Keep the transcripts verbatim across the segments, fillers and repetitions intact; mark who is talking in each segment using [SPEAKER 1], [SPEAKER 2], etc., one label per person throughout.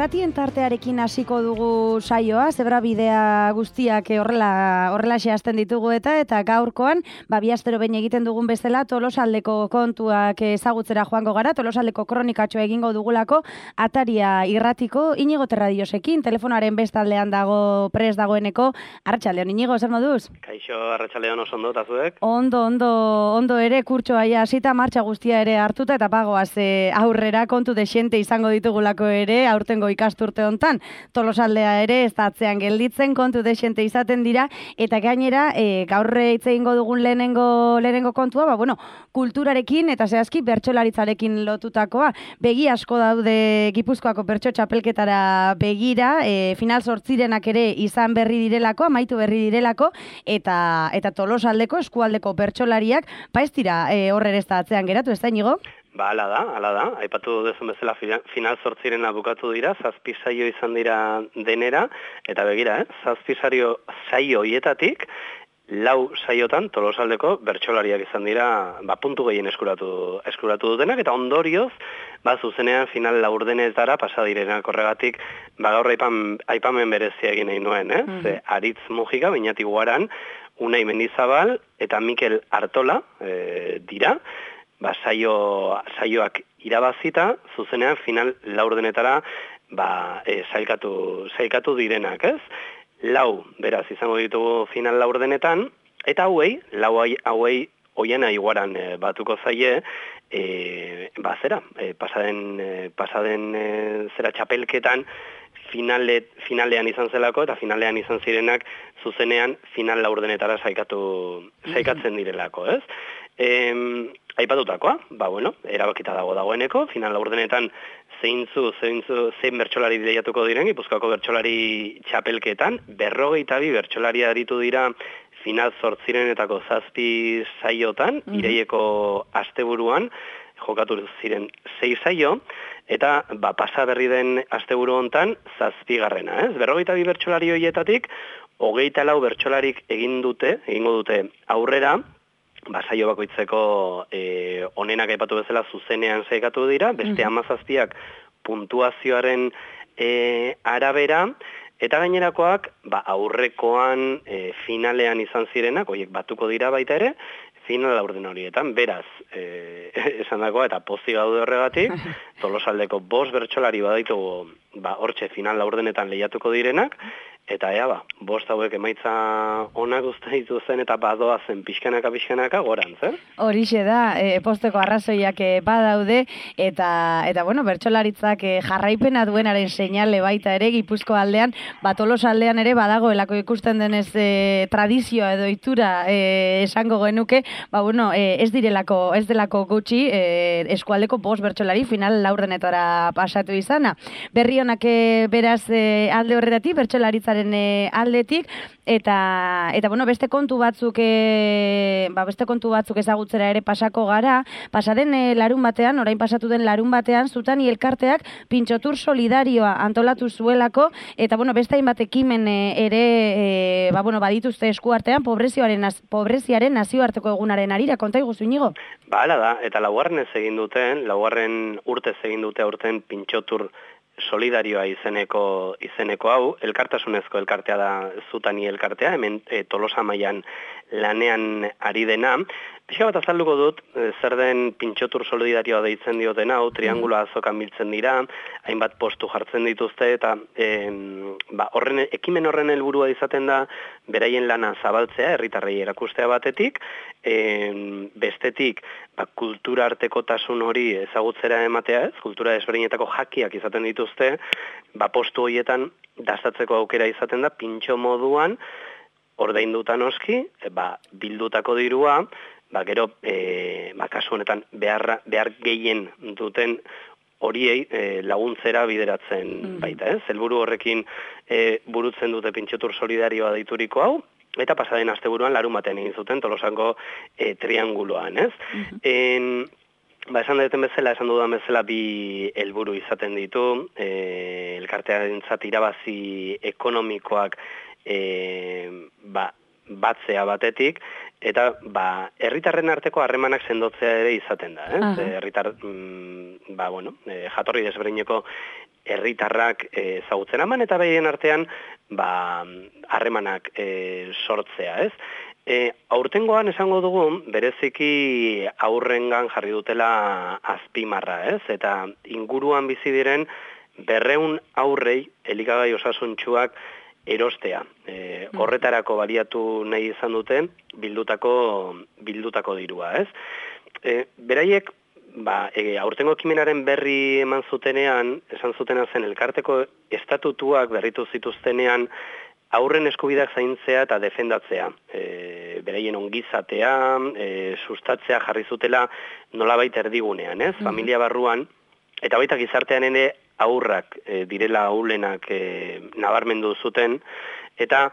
[SPEAKER 1] irratien tartearekin hasiko dugu saioa, zebrabidea guztiak horrela horrela zehazten ditugu eta eta gaurkoan, ba, bi astero behin egiten dugun bezala, Tolosaldeko kontuak ezagutzera joango gara, Tolosaldeko kronikatxoa egingo dugulako, Ataria irratiko Inigo Terradiosekin, telefonaren bestaldean dago prest dagoeneko, Arratsaldeon, Inigo, zer moduz?
[SPEAKER 2] Kaixo, Arratsaldeon oso ondo, eta zuek?
[SPEAKER 1] Ondo, ondo, ondo ere, kurtsoa ja hasita martxa guztia ere hartuta, eta pagoaz e, aurrera kontu dexente izango ditugulako ere, aurtengo ikasturte hontan, Tolosaldea ere ez da atzean gelditzen, kontu dexente izaten dira, eta gainera, e, gaur hitz egingo dugun lehenengo, lehenengo kontua, ba, bueno, kulturarekin eta zehazki bertsolaritzarekin lotutakoa, begi asko daude Gipuzkoako bertso txapelketara begira, e, final zortzirenak ere izan berri direlako, amaitu berri direlako, eta, eta Tolosaldeko eskualdeko bertsolariak, ba ez dira e, horre ez da atzean geratu, ez da, Inigo?
[SPEAKER 2] Ba, ala da, ala da. Aipatu duzun bezala final zortzirena bukatu dira, zazpi saio izan dira denera, eta begira, eh? zazpi saio saio hietatik, lau saiotan Tolosaldeko bertsolariak izan dira, ba, puntu gehien eskuratu, eskuratu dutenak, eta ondorioz, ba, zuzenean final laurdenetara pasa direnak horregatik, ba, gaur aipan, aipamen berezia egin nahi nuen, eh? Mm-hmm. Ze, Aritz Mujika, Beñati Guaran, Unai Mendizabal, eta Mikel Artola e, dira, ba, saio, saioak irabazita, zuzenean final laurdenetara ba, e, zailkatu, zailkatu direnak, ez? Lau, beraz, izango ditugu final laurdenetan, eta hauei, lau hauei Oiana Iguaran e, batuko zaie, e, ba, zera, e, pasaden, e, pasaden e, zera txapelketan, Finale, finalean izan zelako eta finalean izan zirenak zuzenean final laurdenetara zaikatu, zaikatzen direlako, ez? E, aipatutakoa, ba bueno, erabakita dago dagoeneko, final laurdenetan zeintzu, zeintzu, zein bertsolari lehiatuko diren, Gipuzkoako bertsolari txapelketan, berrogeita bi bertsolari aritu dira final zortzirenetako zazpi saiotan, mm-hmm. Ireieko asteburuan, jokatu ziren sei saio, eta ba, pasa berri den asteburu hontan zazpigarrena, ez? Berrogeita bi bertsolari horietatik, hogeita lau bertsolarik egin dute, egingo dute aurrera, ba, saio bakoitzeko e, onenak aipatu bezala zuzenean zaikatu dira, beste hamazazpiak puntuazioaren e, arabera, eta gainerakoak ba, aurrekoan e, finalean izan zirenak, horiek batuko dira baita ere, final laurden horietan, beraz, e, esan dagoa, eta pozi gaude horregatik, Tolosaldeko bost bertsolari baditugu, ba, hortxe final laurdenetan lehiatuko direnak, eta ea, ba, bost hauek emaitza onak uste dituzen eta badoa zen pixkanaka pixkanaka gorantz, eh?
[SPEAKER 1] Horixe da, e, posteko arrazoiak e, badaude, eta, eta bueno, bertsolaritzak e, jarraipena duenaren seinale baita ere, Gipuzko aldean, ba, Tolosaldean ere badagoelako ikusten denez e, tradizioa edo itura e, esango genuke, ba, bueno, e, ez direlako, ez delako gutxi, e, eskualdeko bost bertsolari final laurdenetara pasatu izana. Berri honak e, beraz e, alde horretatik, bertsolaritzaren e, aldetik, eta, eta bueno, beste kontu batzuk e, ba, beste kontu batzuk ezagutzera ere pasako gara, pasaden e, larun batean, orain pasatu den larun batean, Zutani elkarteak pintxotur solidarioa antolatu zuelako, eta bueno, beste hainbat ekimen e, ere e, ba, bueno, badituzte eskuartean pobreziaren, pobreziaren nazioarteko egunaren arira, konta iguzu, Inigo?
[SPEAKER 2] Ba, ala da, eta laugarren ez egin duten, laugarren urtez egin dute aurten pintxotur solidarioa izeneko, izeneko hau, elkartasunezko elkartea da Zutani elkartea, hemen e, Tolosa mailan lanean ari dena. Pixka bat azalduko dut, e, zer den pintxotur solidarioa deitzen dioten hau, trianguloa azokan biltzen dira, hainbat postu jartzen dituzte, eta e, ba, horren, ekimen horren helburua izaten da, beraien lana zabaltzea, herritarrei erakustea batetik, e, bestetik, ba, kultura artekotasun hori ezagutzera ematea, ez, kultura desberdinetako jakiak izaten dituzte, ba, postu horietan dastatzeko aukera izaten da, pintxo moduan, ordainduta noski, e, ba, bildutako dirua, ba, gero, e, ba, kasu honetan behar, behar gehien duten horiei e, laguntzera bideratzen mm. baita, ez? Helburu horrekin e, burutzen dute pintxotur solidarioa deituriko hau, eta pasaden asteburuan larun batean egin zuten Tolosango e, trianguloan, ez? Mm-hmm. En, ba, esan duten bezala, esan dudan bezala bi helburu izaten ditu, e, elkartearentzat irabazi ekonomikoak e, ba, batzea batetik, eta ba, herritarren arteko harremanak sendotzea ere izaten da, eh? Herritar, mm, ba, bueno, e, jatorri desberdineko herritarrak ezagutzen eman eta behien artean ba harremanak e, sortzea, ez? E, aurtengoan esango dugu bereziki aurrengan jarri dutela azpimarra, ez? Eta inguruan bizi diren berreun aurrei elikagai osasuntsuak erostea. E, horretarako baliatu nahi izan duten bildutako bildutako dirua, ez? E, beraiek ba, e, aurtengo ekimenaren berri eman zutenean, esan zutena zen elkarteko estatutuak berritu zituztenean aurren eskubideak zaintzea eta defendatzea. E, beraien ongizatea, e, sustatzea jarri zutela nolabait erdigunean, ez? Mm-hmm. Familia barruan, eta baita gizartean ere aurrak e, direla ahulenak e, nabarmendu zuten, eta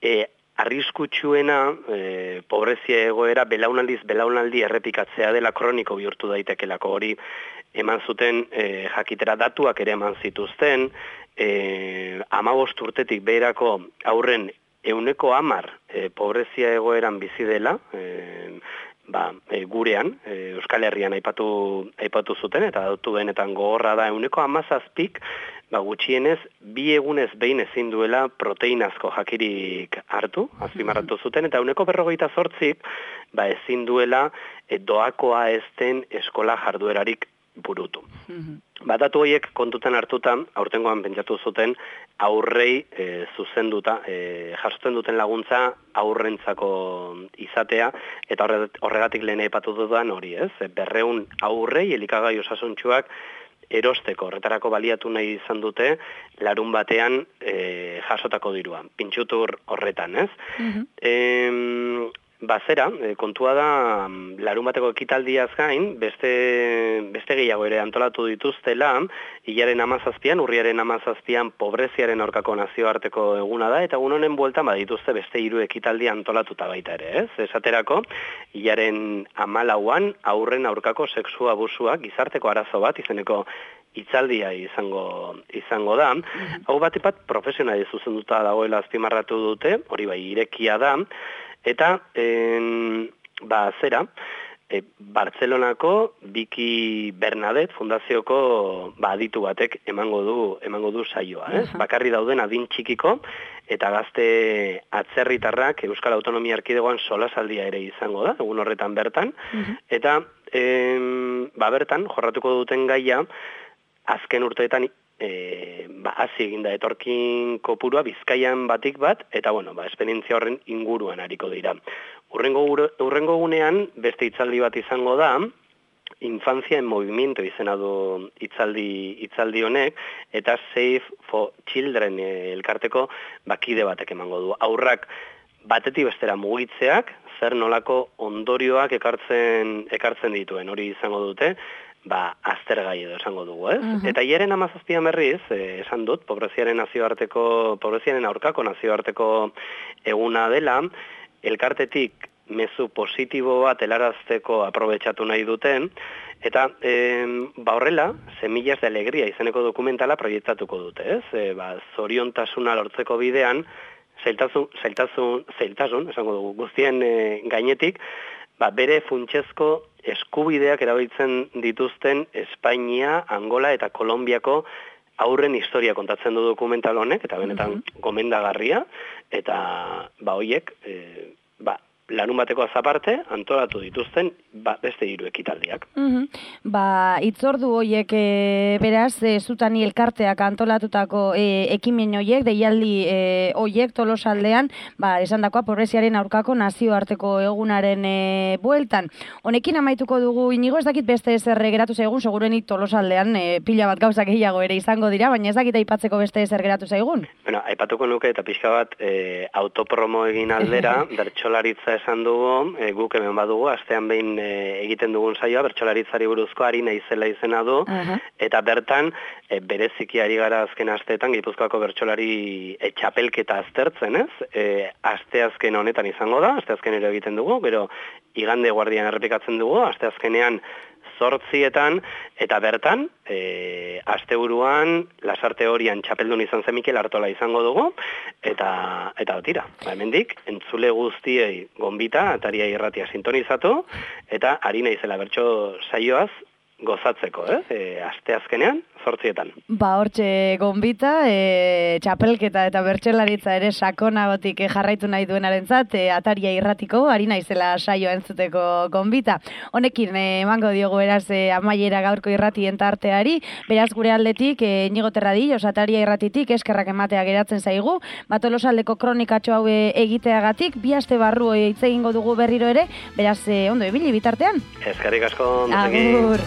[SPEAKER 2] e, arriskutsuena e, pobrezia egoera belaunaldiz belaunaldi errepikatzea dela kroniko bihurtu daitekelako hori eman zuten e, jakitera datuak ere eman zituzten, e, hamabost urtetik beherako aurren ehuneko hamar e, pobrezia egoeran bizi dela, e, ba, e, gurean, e, Euskal Herrian aipatu, aipatu zuten, eta datu benetan gogorra da ehuneko hamazazpik, ba, gutxienez, bi egunez behin ezin duela proteinazko jakirik hartu, azpimarratu zuten, eta ehuneko berrogeita zortzik, ba, ezin duela e, doakoa ezten eskola jarduerarik burutu. Ba, datu horiek kontutan hartuta, aurtengoan pentsatu zuten, aurrei e, zuzenduta, e, jasotzen duten laguntza aurrentzako izatea, eta horregatik lehen aipatu dudan hori, ez? Berreun aurrei elikagai osasuntsuak erosteko, horretarako baliatu nahi izan dute, larun batean e, jasotako dirua, pintxutur horretan, ez? Mm-hmm. E, Bazera, kontua da, larun bateko ekitaldiaz gain, beste, beste gehiago ere antolatu dituztela, hilaren amazazpian, urriaren amazazpian, pobreziaren aurkako nazioarteko eguna da, eta egun honen bueltan badituzte beste hiru ekitaldi antolatuta baita ere, ez? Esaterako, hilaren amalauan, aurren aurkako sexu abusuak, gizarteko arazo bat, izeneko hitzaldia izango izango da. Hau bat epat profesionali zuzenduta dagoela azpimarratu dute, hori bai irekia da, eta en, ba, zera, e, Bartzelonako Biki Bernadette fundazioko ba, aditu batek emango du emango du saioa, ez? Uh-huh. Bakarri dauden adin txikiko eta gazte atzerritarrak Euskal Autonomia Erkidegoan solasaldia ere izango da, egun horretan bertan, uh-huh. eta em, ba, bertan jorratuko duten gaia azken urteetan E, ba, hazi eginda etorkin kopurua Bizkaian batik bat, eta bueno, ba, esperientzia horren inguruan ariko dira. Urrengo, urrengo gunean beste hitzaldi bat izango da, Infancia en Movimiento izena du hitzaldi, hitzaldi honek, eta Save for Children elkarteko bakide batek emango du. Aurrak batetik bestera mugitzeak, zer nolako ondorioak ekartzen, ekartzen dituen, hori izango dute, ba, aztergai edo esango dugu, ez? Uh-huh. Eta hieren amazazpian berriz, eh, esan dut, pobreziaren nazioarteko, pobreziaren aurkako nazioarteko eguna dela, elkartetik mezu positibo bat helarazteko aprobetxatu nahi duten, eta eh, ba horrela, Semillas de Alegría izeneko dokumentala proiektatuko dute, ez? E, ba, zoriontasuna lortzeko bidean, zailtasun, zailtasun, zailtasun, esango dugu, guztien e, gainetik, ba, bere funtsezko eskubideak erabiltzen dituzten Espainia, Angola eta Kolonbiako aurren historia kontatzen du dokumental honek, eta benetan uh-huh. gomendagarria, eta ba hoiek, e, ba, larun bateko azaparte, antolatu dituzten ba, beste hiru ekitaldiak.
[SPEAKER 1] Uh-huh. Ba, itzordu hoiek e, beraz, e, zutani elkarteak antolatutako e, ekimen hoiek, deialdi e, hoiek tolosaldean, ba, esan dakoa, pobreziaren aurkako nazioarteko egunaren e, bueltan. Honekin amaituko dugu, inigo ez dakit beste ezer geratu zaigun, segurenik tolosaldean e, pila bat gauzak gehiago ere izango dira, baina ez dakit aipatzeko beste ezer geratu zaigun.
[SPEAKER 2] Bueno, aipatuko nuke eta pixka bat e, autopromo egin aldera, bertsolaritza esan dugu, e, guk hemen badugu, astean behin e, egiten dugun saioa, bertsolaritzari buruzko ari naizela izena du, uh-huh. eta bertan, e, bereziki ari gara azken asteetan, Gipuzkoako bertsolari e, txapelketa aztertzen, ez? E, asteazken honetan izango da, asteazken ere egiten dugu, gero igande guardian errepikatzen dugu, asteazkenean zortzietan, eta bertan, e, asteburuan, Lasarte Horian txapeldun izan zen Mikel Artola izango dugu, eta eta tira, ba, hemendik, entzule guztiei gonbita, ataria irratia sintonizatu, eta ari naizela bertso saioaz, gozatzeko, eh? E, aste azkenean, zortzietan.
[SPEAKER 1] Ba, hortxe gonbita, e, txapelketa eta bertsolaritza ere sakonagotik jarraitu nahi duenarentzat, e, Ataria irratiko, ari naizela saioa entzuteko gonbita. Honekin, emango diogu eraz e, amaiera gaurko irratien tarteari, beraz gure aldetik, e, Inigo Terradillos, Ataria irratitik, eskerrak ematea geratzen zaigu, ba, Tolosaldeko kronikatxo hau egiteagatik, bi aste barru hitz egingo dugu berriro ere, beraz, e, ondo, ibili bitartean.
[SPEAKER 2] Eskerrik asko,
[SPEAKER 1] Agur.